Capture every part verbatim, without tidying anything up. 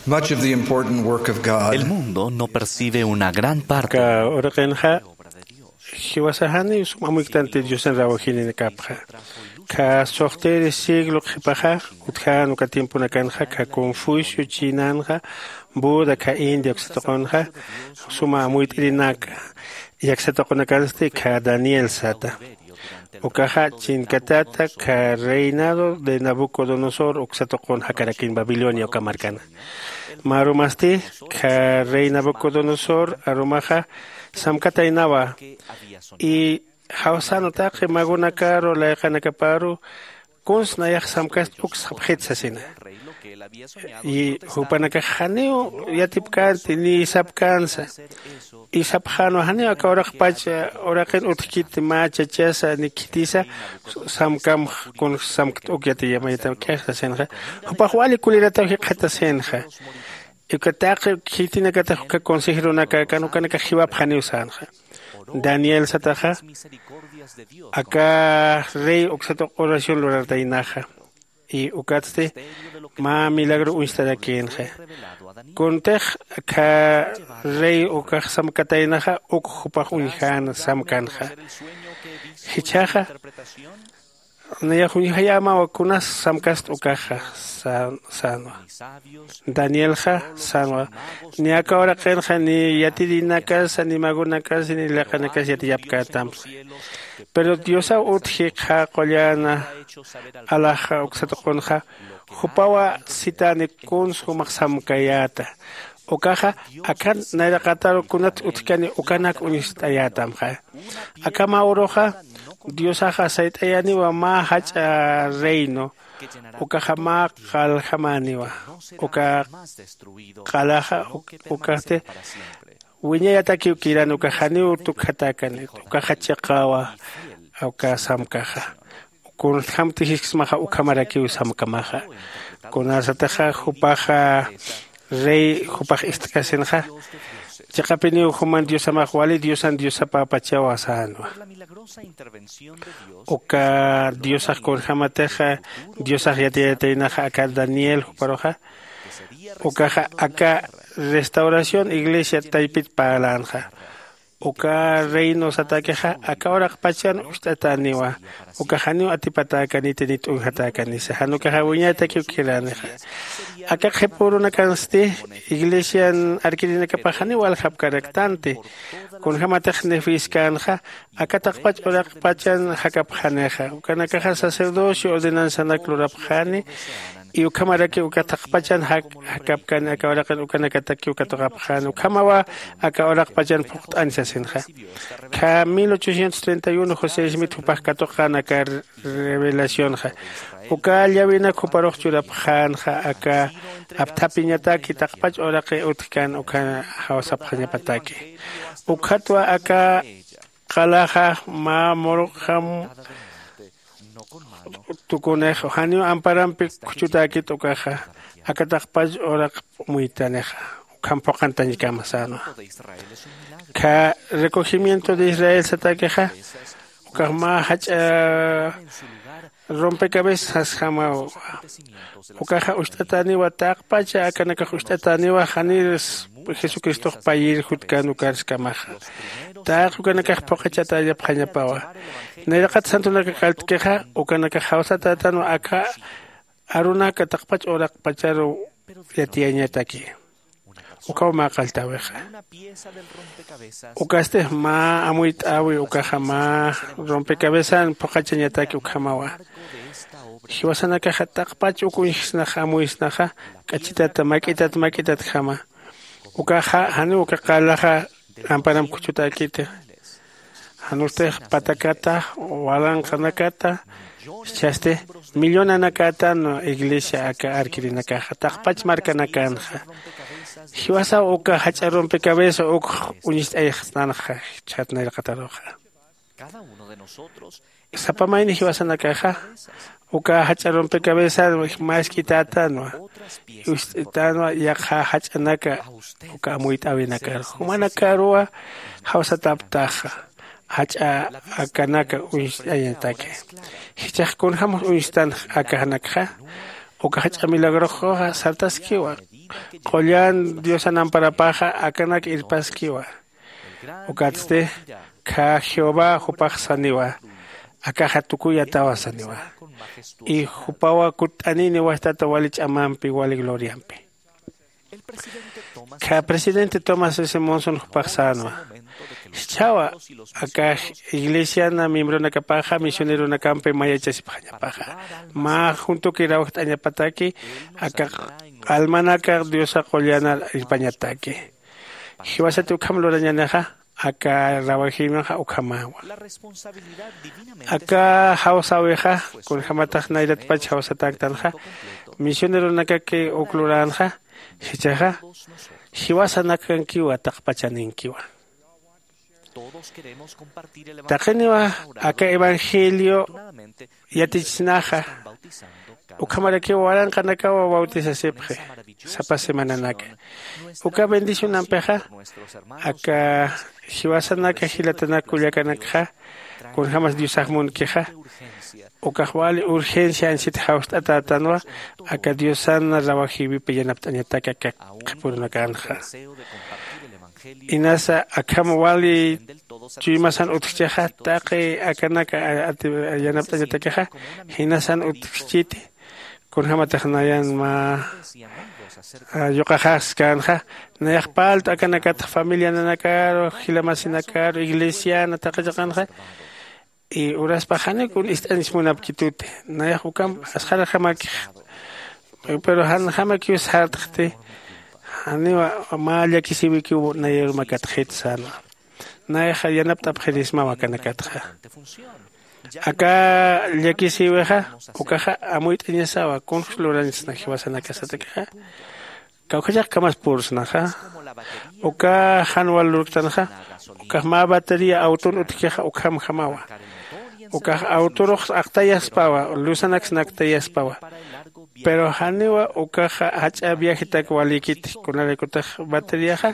Much of the important work of God. El mundo no percibe una gran parte. Ka uraqinxa jiwasa jani sum amuykt'anti Diosan rawajinakapxa. Ka suxtiri siglo qhipaxa utjän uka tiemponakanxa ka Confucio Chinanxa, Buda ka India uksa tuqunxa suma amuyt'irinaka yaksa tuqunakansti ka Daniel sata. Ukaxa chinkatata ka reinado de Nabucodonosor uksa tuqun jakarakin Babilonia uka markana. Mä arumasti ka rey Nabucodonosor arumaxa samkataynawa, y jawsanu taqi magunakaru layqanakaparu kuns nayax samkast uk sapxit sasina. Y jupanakax janiw yatipkänti ni sapkänsa. Y sapxänwa janiw aka uraqpach uraqin utjkiti mä chachasa ni khitisa samkam kuns samkt uk yatiyamaytam k'ix sasinxa. Jupax wali kulirataw jikxatasinxa. Uka taqi khitinakatix uka consejeronakakan ukanakax jiwapxaniw sänxa. Daniel sataxa aka rey uksa tuq oración lurartaynaxa. Y ukatsti mä milagro uñstarakïnxa. Kuntix aka rey ukax samkataynaxa uk jupax uñjän samkanxa. Jichhaxa nayax uñjayämawa kunas samkast ukaxa sänwa. Danielxa sänwa ni aka uraqinxa ni yatirinakasa ni magunakasa ni layqanakasa yatiyapkätamsa. Pero diosaw utji qhä qulläna alaxa uksa tuqunxa jupawa sitäni kuns jumax samkayäta. Ukaxa akan nayraqataru kunat utjkani ukanak uñst'ayätamxa. Akham uruxa diosaxa sayt'ayäniwa mä jach'a reino. Ukaxa mä qaljamäniwa. Uka qalaxa ukasti wiñayatakiw kiran ukax janiw tukjatäkani. Ukaxa chiqawa uka samkaxa. Kunjam tijisksmaxa ukhamarakiw samkamaxa. Kunasataxa jupaxa rey jupax ist'kasinxa chiqapiniw juman diosamax wali diosan diosapäpachawa sänwa. Uka diosax kunjämatixa diosax yatiyataynaxa aka daniel juparuxa ukaxa aka restauración iglesia taypit parlänxa. Uka reino satakixa aka uraqpachan ucht'atäniwa. Ukax janiw atipatäkaniti ni t'unjatäkanisa jan ukaxa wiñaytakiw kiranixa. Aka qhipürunakansti iglesian arkirinakapax janiw waljapkaraktanti. Kunjämatix nefïskänxa aka taqpach uraqpachan jakapxanixa ukanakaxa sacerdocio ordenanzanak lurapxani. Y ukhamaraki uka taqpachan jakapkani aka uraqin ukanakataki uka tuqapxani ukhamawa aka uraqpachan phuqt'ani sasinxa. Kha mil ochocientos treinta y uno josé smith jupax katuqan aka revelacionxa uka llawinak juparux churapxänxa aka apthapiñataki taqpach uraqi utjkan ukhan jawsapxañapataki. Ukhatwa aka qalaxa mä muruqjam tukunix janiw amparampi khuchutäkit ukaxa aka taqpach uraq muytanixa ukham phuqantañkama sänwa. Kha recogimiento de israel satakixa ukax mä jach'a rompecabezas sasjamaw. Ukaxa ucht'atäniwa taqpacha akanakax ucht'atäniwa janir jesucristox payir jutkan ukarskamaxa. Taq ukanakax phuqachatayapxañapawa. Nayraqat santunaka qalltkixa ukanakax jawsatätanwa aka arunaka taqpach uraqpacharu yatiyañataki. Ukaw mä qalltäwixa ukastix mä amuyt'äwi ukaxa mä rompecabezan phuqachañataki ukhamawa. Jiwasanakaxa taqpach uk uñjsnaxa amuysnaxa k'achitata mak'itat mak'itatjama. Ukaxa janiw uka qalaxa amparam khuchutäkiti. Janustix patakata walanqanakata jichhasti millonanakatan iglesia aka arkirinakaxa taqpach markanakanxa. Jiwasaw uka jach'a rompecabeza ukx uñist'ayxsnanxa jichhat nayraqataruxa. Sapa mayni jiwasanakaxa uka jach'a rompecabezan mä isk'itätanwa. Ist'itanwa yaqha jach'anaka uka amuyt'äwinakar jumanakaruwa jawsataptaxa jach'a akanaka uñst'añataki. Jichhax kunjämux uñstanx akaxanakxa uka jach'a milagroxuxa sartaskiwa. Qullan diosan amparapaxa akanak irpaskiwa. Ukatsti khä jehová jupax saniwa. Akaxa tukuyatawa saniwa. Y jupawa kutt'anini wajtata wali ch'amampi wali gloriampi. Khä presidente tomás s monson jupax sänwa. Jichhawa aka iglesiana miembronakapaxa misioneronakampi mayachasipxañapaxa. Mä juntuki rawjt'añapataki aka almanaka diosa qullanar irpañataki. Jiwasati ukham lurañanixa aka rawajïmanxa ukhamäwa. Aka jawsäwixa kunjämatax nayratpach jawsatäktanxa misioneronakaki uk luränxa. Jichhaxa jiwasanakankiwa taqpachaninkiwa. Taqiniwa aka evangelio yatichisnaxa ukhamarakiw waranqanakawa bautisasipxi. Sapa semananaka uka bendicionampixa aka jiwasanaka jilatanak kullakanakxa kunjämas diosax munkixa. Ukax wali urgencia anchhit jawst'atätanwa aka diosan rawajïwipi yanapt'añatak aka qhipurunakanxa. Inasa akham wali chuymasan utjchixa taqi akanak yanapt'añatakixa jinasan utjchiti. Kunjämatax nayan mä yuqaxaskänxa nayax parlt'u akanakatx familiananakaru jila masinakaru iglesiana taqi chiqanxa. Y uraspax janiw kun ist'añs munapkituti. Nayax ukham asxaraxamakix pero janjamakiw sartxti. Janiw mä llakisïwikiw nayar makatxit sänwa. Nayax yanapt'apxirismaw akanakatxa. Aka llakisïwixa ukaxa amuyt'añasawa kunjus lurañsna jiwasanakasatakixa. Kawkhachax kamas pursnaxa uka jan wal lurktanxa. Ukax mä batería auton utjkixa ukhamjamawa. Ukax autorux aqtayaspawa lusanaks naktayaspawa. Pero janiwa ukaxa jach'a viajetak walïkiti kunaraykutax bateriaxa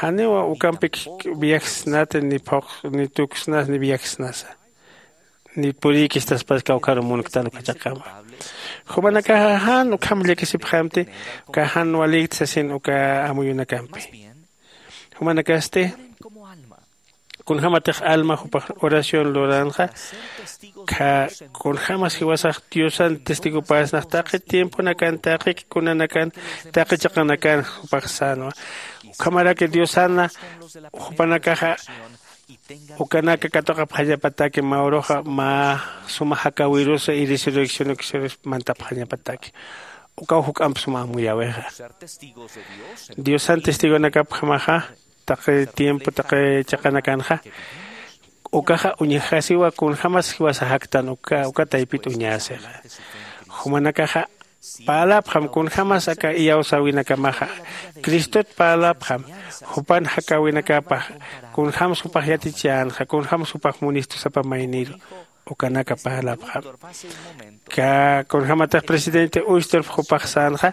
janiwa ukampik viajsnati ni phuq ni tuksnas ni viajsnasa. Ni purïkistaspas kawkharu munktan ukhachaqama. Jumanakaxa jan ukham llakisipxamti uka jan walïkti sasin uka amuyunakampi. Jumanakasti kunjämatix alma jupax oración luranxa. Khä kunjämas jiwasax diosan testigopäsnax taqi tiemponakan taqi kunanakan taqi chiqanakan jupax sänwa. Ukhamaraki diosana jupanakaxa ukanaka katuqapxañapataki mä uruxa mä suma jakäwirusa y resurrección ukisirus mantapxañapataki. Ukaw juk'amp suma amuyäwixa. Diosan testigonakapjamaxa taqi tiempo taqi chiqanakanxa ukaxa uñjasiwa kunjämas jiwasa jaktan uka uka taypit uñäsixa. Jumanakaxa parläpxam kunjämas aka iyawsäwinakamaxa cristot parläpxam jupan jakäwinakapax kunjämsa jupax yatichänxa kunjämsa jupax munistu sapa mayniru ukanaka parläpxam. Kunjämatix presidente uystorf jupax sänxa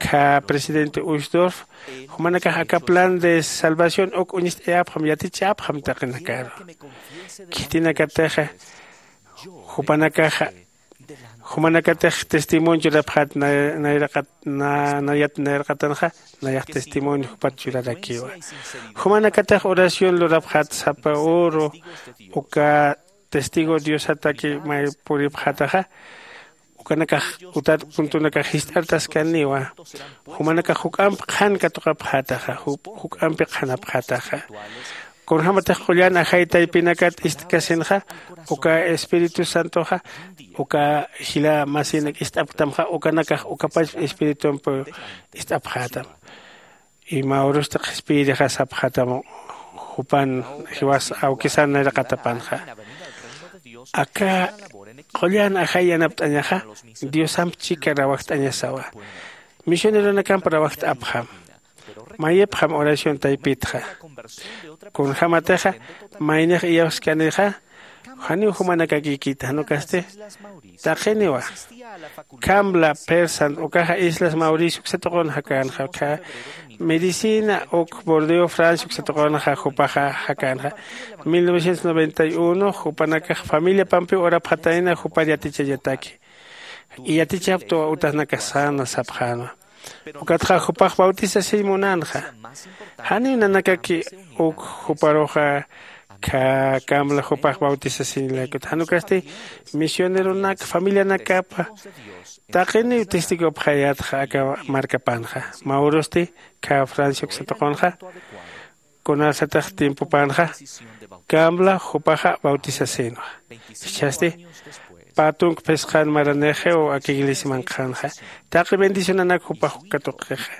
kha presidente uystorf jumanakax aka plan de salvación uk uñist'ayäpxam yatichäpxam taqinakaru. Khitinakatixa jupanakaxa jumanakatix testimonio churapxat nayraqat nayat nayraqatanxa nayax testimonio jupat churarakiwa. Jumanakatix oración lurapxat sapa uru uka testigo diosataki may puripxataxa ukanakax utat puntunakax jist'artaskaniwa. Jumanakax juk'amp qhan katuqapxataxa juk'ampi qhanapxataxa. Kunjämatix qullan ajay taypinakat ist'kasinxa uka espíritu santoxa uka jila masinak ist'apktamxa ukanakax ukapach espiritumpi ist'apxätam. Y mä urustix qhispiyirixa sapxätam jupan jiwas awkisan nayraqatapanxa. Aka qullan ajay yanapt'añaxa diosamp chika rawajt'añasawa. Misioneronakamp rawajt'apxam mayipxam oración taypitxa. Kunjämatixa maynix iyawskanixa janiw jumanakakïkita jan ukasti taqiniwa. Cambla persan ukaxa islas mauricio uksa tuqun jakänxa ukkha medicina uk bordeo francia uksa tuqunxa jupaxa jakänxa. Mil novecientos noventa y uno jupanakax familiapampiw urapxatayna jupar yatichañataki. Yatichaptuwa utanakax säna sapxänwa. Ukatxa jupax bautisasiñ munanxa. Janiw nanakaki uk juparuxa kha kambla jupax bautisasiñ laykut jan ukasti misioneronak familianakapa taqiniw testigopxayätxa aka markapanxa. Mä urusti kha francia uksatuqunxa kunasatix tiempopanxa kambla jupaxa bautisasinwa. Jichhasti pä tunk phisqan maranixiw aka iglesiamanqhanxa taqi bendicionanak jupax katuqixa.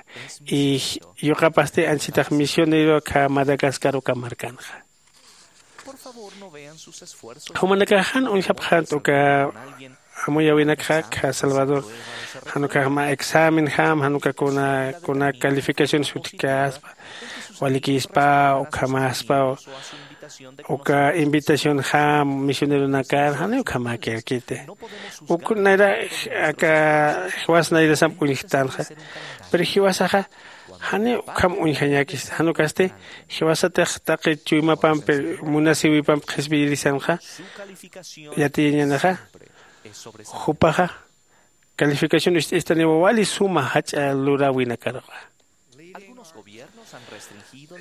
Y yuqapasti anchitax misionero kha madagascar uka markanxa. Jumanakax jan uñjapxant uka amuyawinakxa kha salvador jan ukax mä examenjam jan uka kuna kuna calificaciones utjkaspa walikispa ukhamaspa uka invitacionjam misioneronakar janiw ukhamäkirkiti. Uk nayra aka jiwas nayrasamp uñjtanxa. Pero jiwasaxa janiw ukham uñjañäkista jan ukasti jiwasatix taqi chuymapampi munasiwipamp qhispiyirisanxa yatiyañänixa jupaxa calificación ist'istaniwa wali suma jach'a luräwinakaruxa.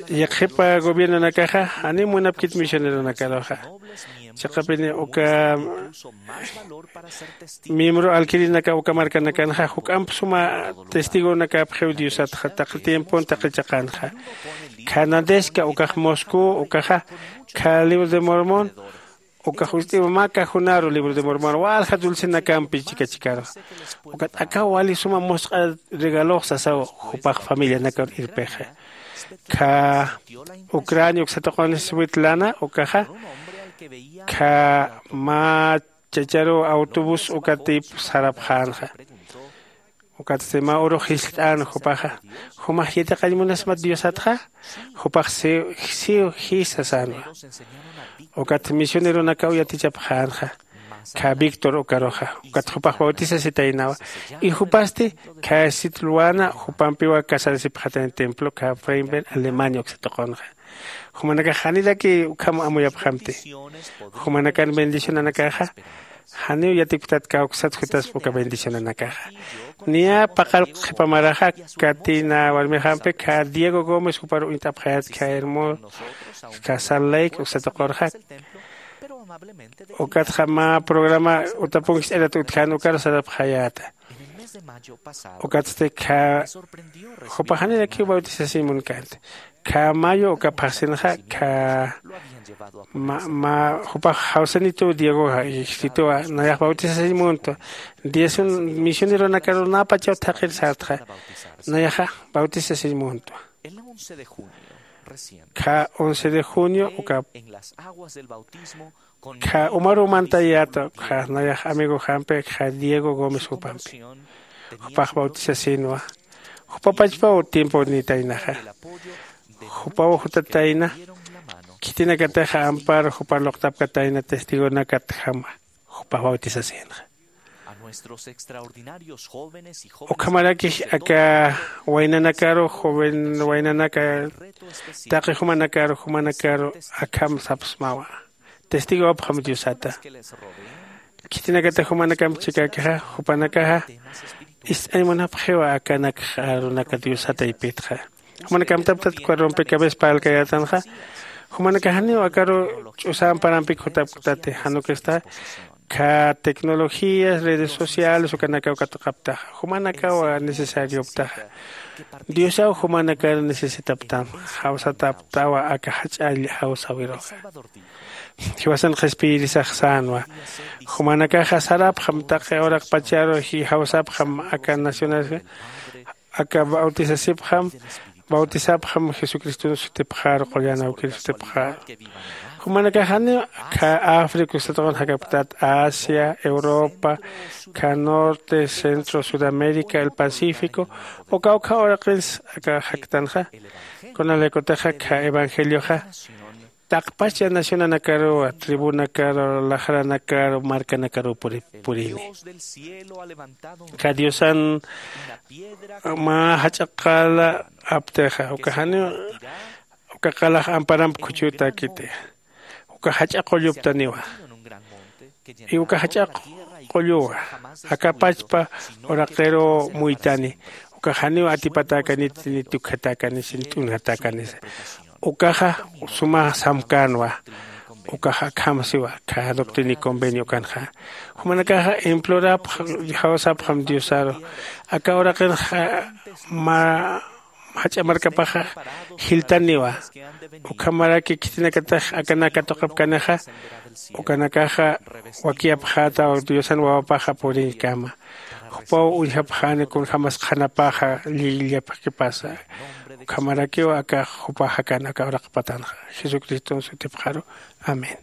Yaqhipa gobiernonakaxa janiw munapkit misioneronakaruxa. Chiqapini uka miembro alquirinaka uka markanakanxa juk'amp suma testigonakapxiw diosatxa taqi tiempon taqi chiqanxa. Khanadesca ukax moscú ukaxa kha libro de mormón ukax ust'iwa mä cajonaru libro de mormón walja dulcenakampi chikachikaru. Ukat akaw wali suma musq'a regalox sasaw jupax familianakar irpixa. Kha ucrania uksatuqun switlana ukaxa kha mä chacharuw autobús ukatip sarapxänxa. Ukatsti mä urux jiskt'an jupaxa jumax yatiqañ munasmat diosatxa? Jupax siw siw jisa sänwa. Ukat misioneronakaw yatichapxänxa kha víctor ukaruxa ukat jupax bautisasitaynawa. Y jupasti kha sitlwana jupampiwa casarasipxatañ templo kha freiberg alemania uksatuqunxa. Jumanakax janiraki ukham amuyapxamti. Jumanakan bendicionanakaxa janiw yatikptat kawksat jutaspa uka bendicionanakaxa. Niya paqallq qhipa maraxa katina warmixampi kha diego gómez jupar uñt'apxayät kha hermoso kha salt lake uksatuqurxa. Ukatxa mä programa utapunkicht'arat utjän ukar sarapxayäta. Ukatsti kha jupax janirakiw bautisasiñ munkänti. Kha mayo uka phaxsinxa kha mä jupax jawsanituw diegoxa ijsituwa nayax bautisasiñ muntwa. Diez misioneronakaru näpachaw thaqhir sartxa nayaxa bautisasiñ muntwa. Kha once de junio uka kha umaruw mantayäta ukxa nayax amigojampi kha diego gómez jupampi jupax bautisasinwa. Jupapachpaw tiemponitaynaxa. Jupaw jutatayna khitinakataxa ampar jupar luqtapkatayna testigonakatjama jupax bautisasinxa. Ukhamarakix aka waynanakaru joven waynanaka taqi jumanakaru jumanakaru akham sapsmawa. Testigopxam diosata khitinakata jumanakamp chikäkixa jupanakaxa ist'añ munapxiwa akanakxa arunaka diosata ipitxa. Jumanakamtaptat cuarrompi cabeza parlkayätanxa jumanakaxaniw akaru ch'usa amparampik jutapktati jan ukista kha tecnologías redes sociales ukanakaw katuqaptaxa jumanakaw necesarioptaxa. Diosaw jumanakar necesitaptam jawsataptawa aka jach'all jawsawiruxa. Jiwasan qhispiyirisax sänwa jumanakaxa sarapxam taqi uraqpacharu jawsapxam aka nacional aka bautisasipxam bautisapxam jesucriston sutipxaru qullan awkir sutipxaru. Jumanakaxani kha africa satuqun jakapktat asia europa kha norte centro sudamérica el pacífico uka ukha uraqins aka jaktanxa. Kunalaykutixa kha evangelioxa taqpacha nacionanakaruwa tribunakaru laxranakaru markanakaruw purini. Kha diosan mä jach'a qala aptixa uka janiw uka qalax amparamp khuchhütäkiti. Uka jach'a qulluptaniwa. Y uka jach'a qulluwa aka pachpa uraqiruw muytani. Ukax janiw atipatäkaniti ni tukjatäkanisa ni t'unjatäkanisa. Ukaxa suma samkänwa. Ukax akham siwa, kha doctrina y convenio ukanxa. Jumanakaxa implorapxam, jawsapxam diosaru. Aka uraqinxa mä jach'a markapaxa jiltaniwa. Ukhamaraki khitinakatix akanak katuqapkanixa, ukanakaxa wakiyapxätaw diosan wawapaxa puriñkama. Jupaw uñjapxäni kunjämas qhanapaxa llillapxkipasa. Ukhamarakiw aka jupa jakan aka uraq patanxa, jesucriston sutipxaru. Amén.